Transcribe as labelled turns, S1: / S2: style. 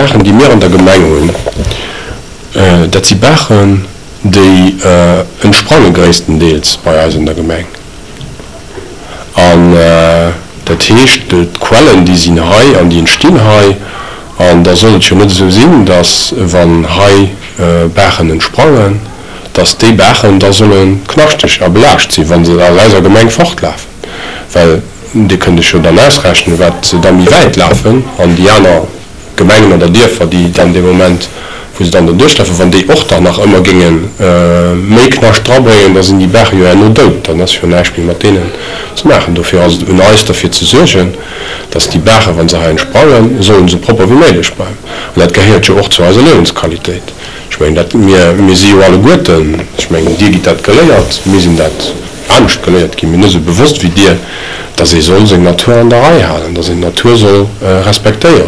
S1: Baachen, déi mir an der Gemeng hunn, dat si Baachen, déi entsprange gréisstendeels bei eis an der Gemeng. An dat heescht, d'Quellen, déi sinn hei an déi entstinn hei. An da soll et jo net esou sinn, datt, wann hei Baachen entsprangen, datt déi Baachen da solle knaschteg a belaascht sinn, wa se aus eiser Gemeng fortlafen. Well Dir kënnt Iech jo dann ausrechnen, wat se da méi wäit lafen an déi aner Gemengen oder Dierfer, déi dann dee Moment, wou se dann do duerchlafen, wann déi och dann nach ëmmer géinge méi Knascht drabréngen, da sinn déi Baache jo herno dout, dann ass jo näischt méi mat deenen ze maachen. Dofir ass et un eis, derfir ze suergen, dass déi Baachen, wa se hei entsprangen, sollen esou propper wéi méiglech bleiwen. An dat gehéiert jo och zu eiser Liewensqualitéit. Ech mengen, dat, mir, mir si jo alleguerten, ech mengen, Dir gitt dat geléiert, mir sinn dat anescht geléiert ginn, mir net esou bewosst wéi Dir, dass ee soll seng Natur an der Rei halen, dass een d'Natur soll respektéieren.